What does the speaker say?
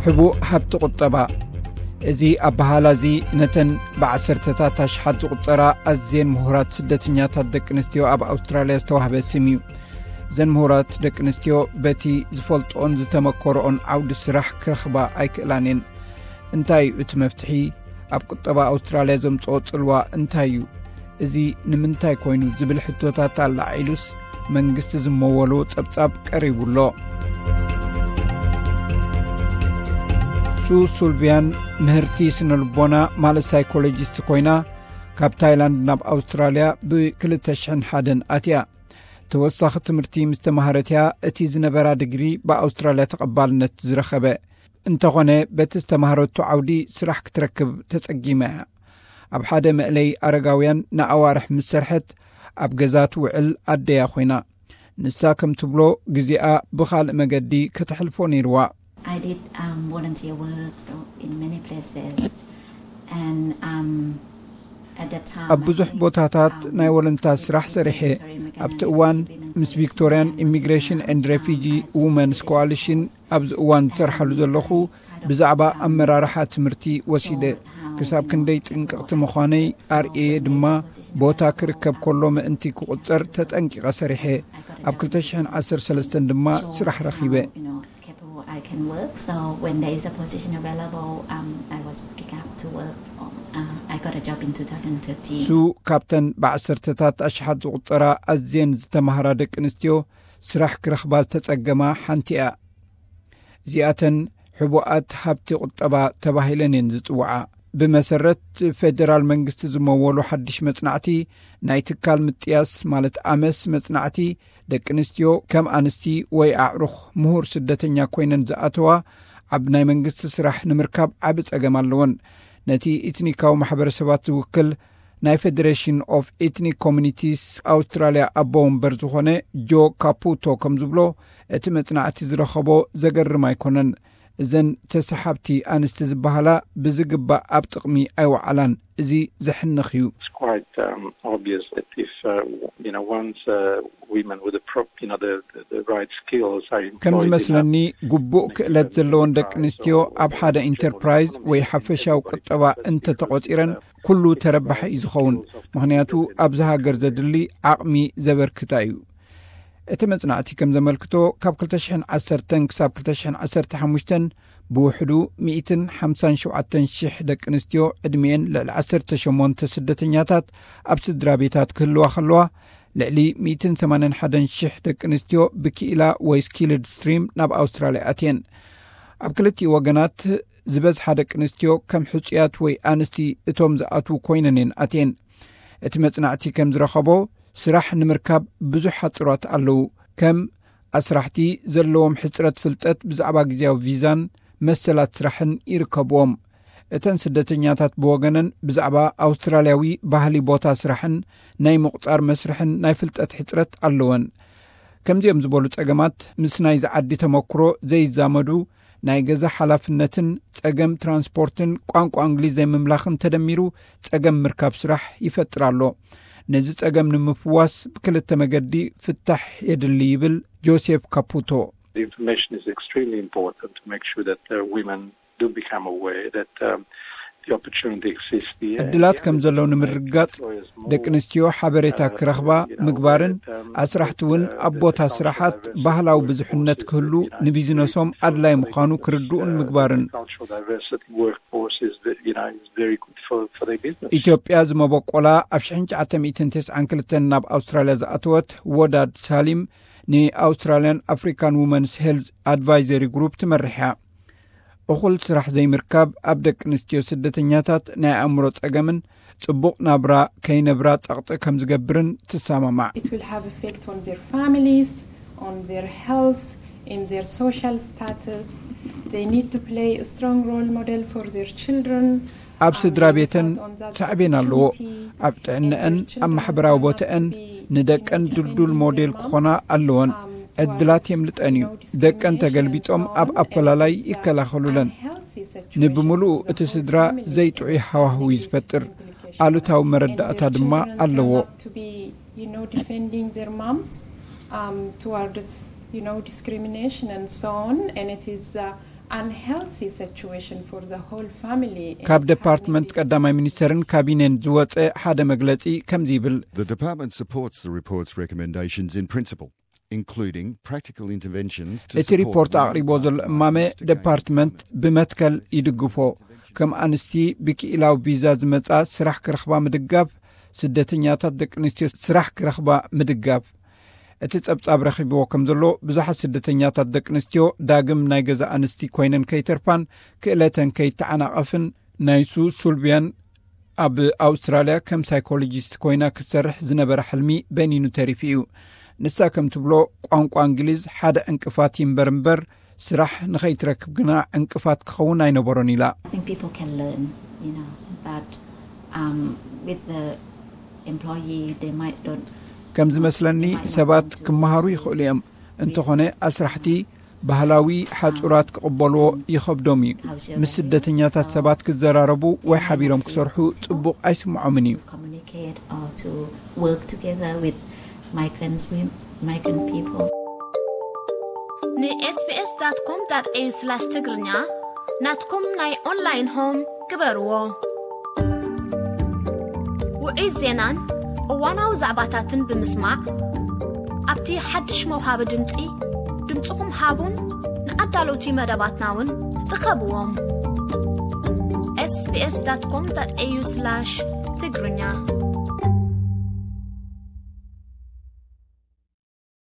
ሕቡእ ሃብቲ ቁጠባ። እዚ ኣበሃላ እዚ ነተን ብዓሰርተታት ኣሽሓት ዝቑጸራ ኣዝየን ምሁራት ስደተኛታት ደቂ ኣንስትዮ ኣብ ኣውስትራልያ ዝተዋህበ ስም እዩ። እዘን ምሁራት ደቂ ኣንስትዮ በቲ ዝፈልጥኦን ዝተመኮርኦን ዓውዲ ስራሕ ክረኽባ ኣይክእላን እየን። እንታይ እዩ እቲ መፍትሒ? ኣብ ቁጠባ ኣውስትራልያ ዘምጽኦ ጽልዋ እንታይ እዩ? እዚ ንምንታይ ኮይኑ ዝብል ሕቶታት ኣላዒሉስ መንግስቲ ዝመወሎ ጸብጻብ ቀሪቡ ኣሎ። ሱ ሱልቪያን ምህርቲ ስነ ልቦና ማለት ሳይኮሎጂስት ኮይና ካብ ታይላንድ ናብ ኣውስትራልያ ብ ክልተ ሽሕን ሓደን ኣትያ። ተወሳኺ ትምህርቲ ምስ ተማሃረት እያ እቲ ዝነበራ ድግሪ ብኣውስትራልያ ተቐባልነት ዝረኸበ። እንተኾነ በቲ ዝተማሃረቱ ዓውዲ ስራሕ ክትረክብ ተጸጊማ እያ። ኣብ ሓደ መእለይ ኣረጋውያን ንኣዋርሕ ምስ ሰርሐት ኣብ ገዛ ትውዕል ኣደያ ኮይና። ንሳ ከም ትብሎ ግዜኣ ብኻልእ መገዲ ከተሕልፎ ነይርዋ። I did um, volunteer work so in many places, and um, at that time ኣብ ብዙሕ ቦታታት ናይ ወለንታ ስራሕ ሰሪሐ። ኣብቲ እዋን ምስ ቪክቶርያን ኢሚግሬሽን ኤንድ ሬፊጂ ውመንስ ኮዋሊሽን ኣብዚ እዋን ዝሰርሓሉ ዘለኹ ብዛዕባ ኣመራርሓ ትምህርቲ ወሲደ። ክሳብ ክንደይ ጥንቅቕቲ ምዃነይ ኣርእየ ድማ ቦታ ክርከብ ከሎ ምእንቲ ክቑጸር ተጠንቂቐ ሰሪሐ። ኣብ ክልተ ሽሕን ዓሰርተ ሰለስተን ድማ ስራሕ ረኺበ። I can work. So when there is a position available, um, I was picked up to work. Uh, I got a job in two thousand thirteen. ሱ ካብተን ብዓሰርተታት ኣሽሓት ዝቑጸራ ኣዝየን ዝተማህራ ደቂ ኣንስትዮ ስራሕ ክረኽባ ዝተጸገማ ሓንቲ እያ። እዚኣተን ሕቡኣት ሃብቲ ቁጠባ ተባሂለን እየን ዝጽውዓ። ብመሰረት ፌደራል መንግስቲ ዝመወሉ ሓድሽ መጽናዕቲ፣ ናይ ትካል ምጥያስ ማለት ኣመስ መጽናዕቲ፣ ደቂ ኣንስትዮ ከም ኣንስቲ ወይ ኣዕሩኽ ምሁር ስደተኛ ኮይነን ዝኣተዋ ኣብ ናይ መንግስቲ ስራሕ ንምርካብ ዓቢ ጸገም ኣለወን። ነቲ ኢትኒካዊ ማሕበረሰባት ዝውክል ናይ ፌደሬሽን ኦፍ ኤትኒክ ኮሚኒቲስ ኣውስትራልያ ኣቦ ወንበር ዝኾነ ጆ ካፑቶ ከም ዝብሎ፣ እቲ መጽናዕቲ ዝረኸቦ ዘገርም ኣይኮነን። እዘን ተሰሓብቲ ኣንስቲ ዝበሃላ ብዝግባእ ኣብ ጥቕሚ ኣይወዓላን። እዚ ዘሕንኽ እዩ። It's quite um, obvious that if uh, you know once uh, women with the prop, you know the, the, the right skills are ከም employed in a ዝመስለኒ ግቡእ ክእለት ዘለወን ደቂ ኣንስትዮ ኣብ ሓደ ኢንተርፕራይዝ ወይ ሓፈሻዊ ቁጠባ እንተተቖጺረን ኩሉ ተረባሒ እዩ ዝኸውን። ምኽንያቱ ኣብዚ ሃገር ዘድሊ ዓቕሚ ዘበርክታ እዩ። እቲ መጽናዕቲ ከም ዘመልክቶ ካብ ክልተ ሽሕን ዓሰርተን ክሳብ ክልተ ሽሕን ዓሰርተ ሓሙሽተን ብውሕዱ ሚእትን ሓምሳን ሸውዓተን ሽሕ ደቂ ኣንስትዮ ዕድሚኤን ልዕሊ ዓሰርተ ሸሞንተ ስደተኛታት ኣብ ስድራ ቤታት ክህልዋ ከለዋ፣ ልዕሊ ሚእትን ሰማንያን ሓደን ሽሕ ደቂ ኣንስትዮ ብክኢላ ወይ ስኪልድ ስትሪም ናብ ኣውስትራልያ ኣትየን። ኣብ ክልቲኡ ወገናት ዝበዝሓ ደቂ ኣንስትዮ ከም ሕጹያት ወይ ኣንስቲ እቶም ዝኣትዉ ኮይነን እየን ኣትየን። እቲ መጽናዕቲ ከም ዝረኸቦ ስራሕ ንምርካብ ብዙሕ ሓጽሯት ኣለዉ። ከም ኣስራሕቲ ዘለዎም ሕጽረት ፍልጠት ብዛዕባ ግዜያዊ ቪዛን መሰላት ስራሕን ይርከብዎም። እተን ስደተኛታት ብወገነን ብዛዕባ ኣውስትራልያዊ ባህሊ ቦታ ስራሕን ናይ ምቑጻር መስርሕን ናይ ፍልጠት ሕጽረት ኣለወን። ከምዚኦም ዝበሉ ጸገማት ምስ ናይዚ ዓዲ ተመክሮ ዘይዛመዱ ናይ ገዛ ሓላፍነትን ጸገም ትራንስፖርትን ቋንቋ እንግሊዝ ዘይምምላኽን ተደሚሩ ጸገም ምርካብ ስራሕ ይፈጥር ኣሎ። ነዚ ጸገም ንምፍዋስ ብክልተ መገዲ ፍታሕ የድሊ ይብል ጆሴፍ ካፑቶ። The information is extremely important to make sure that uh, women do become aware that um, the opportunity exists here. ዕድላት ከም ዘለዉ ንምርግጋጽ ደቂ ኣንስትዮ ሓበሬታ ክረኽባ ምግባርን ኣስራሕቲ እውን ኣብ ቦታ ስራሓት ባህላዊ ብዙሕነት ክህሉ ንቢዝነሶም ኣድላይ ምዃኑ ክርድኡን ምግባርን። Cultural diversity workforce is ve- you know is very good for for their business. ኢትዮጵያ ዝመበቆላ ኣብ ሽሕን ትሽዓተ ሚእትን ተስዓን ክልተን ናብ ኣውስትራልያ ዝኣተወት ወዳድ ሳሊም ንኣውስትራልያን ኣፍሪካን ውመንስ ሄልዝ ኣድቫይዘሪ ግሩፕ ትመርሕ እያ። እኹል ስራሕ ዘይምርካብ ኣብ ደቂ ኣንስትዮ ስደተኛታት ናይ ኣእምሮ ጸገምን ጽቡቕ ናብራ ከይነብራ ጸቕጢ ከም ዝገብርን ትሰማማዕ። It will have effect on their families, on their health, in their social status. They need to play a strong role model for their children. ኣብ ስድራ ቤተን ሳዕቤን ኣለዎ። ኣብ ጥዕነአን፣ ኣብ ማሕበራዊ ቦታአን ንደቀን ድልዱል ሞዴል ክኾና ኣለወን። ዕድላት የምልጠን እዩ። ደቀን ተገልቢጦም ኣብ ኣፈላላይ ይከላኸሉለን። ንብምሉኡ እቲ ስድራ ዘይጥዑይ ሃዋህው እዩ ዝፈጥር። ኣሉታዊ መረዳእታ ድማ ኣለዎ። You know, defending their moms um, towards you know discrimination and so on, and it is uh, unhealthy situation for the whole family. ካብ ዴፓርትመንት ቀዳማይ ሚኒስተርን ካቢኔን ዝወፀ ሓደ መግለፂ ከምዚ ይብል። The department supports the report's recommendations in principle, including practical interventions to እቲ ሪፖርት ኣቕሪቦ ዘሎ እማመ ዴፓርትመንት ብመትከል ይድግፎ። ከም ኣንስቲ ብክኢላዊ ቪዛ ዝመጻ ስራሕ ክረኽባ ምድጋፍ፣ ስደተኛታት ደቂ ኣንስትዮ ስራሕ ክረኽባ ምድጋፍ። እቲ ጸብጻብ ረኺብዎ ከም ዘሎ፣ ብዙሓት ስደተኛታት ደቂ ኣንስትዮ ዳግም ናይ ገዛ ኣንስቲ ኮይነን ከይተርፋን ክእለተን ከይተዓናቐፍን፣ ናይ ሱ ሱልቪያን ኣብ ኣውስትራልያ ከም ሳይኮሎጂስት ኮይና ክትሰርሕ ዝነበረ ሕልሚ በኒኑ ተሪፉ እዩ። ንሳ ከም ትብሎ፣ ቋንቋ እንግሊዝ ሓደ ዕንቅፋት ይንበር እምበር፣ ስራሕ ንኸይትረክብ ግና ዕንቅፋት ክኸውን ኣይነበሮን ኢላ። I think people can learn, you know, but um, with the employee, they might don't. ከም ዝመስለኒ ሰባት ክመሃሩ ይኽእሉ እዮም። እንተኾነ ኣስራሕቲ ባህላዊ ሓጹራት ክቕበልዎ ይኸብዶም እዩ። ምስ ስደተኛታት ሰባት ክዘራረቡ ወይ ሓቢሮም ክሰርሑ ጽቡቕ ኣይስምዖምን እዩ። Communicate or to work together with migrants, with migrant people. ንኤስቢኤስ ዳት ኮም ዳት ኤዩ ስላሽ ትግርኛ ናትኩም ናይ ኦንላይን ሆም ግበርዎ። ውዑይ ዜናን እዋናዊ ዛዕባታትን ብምስማዕ፣ ኣብቲ ሓድሽ መውሃቢ ድምፂ ድምፅኹም ሃቡን ንኣዳለውቲ መደባትና እውን ርኸብዎም። ኤስቢኤስ ዳት ኮም ዳት ኤዩ ስላሽ ትግርኛ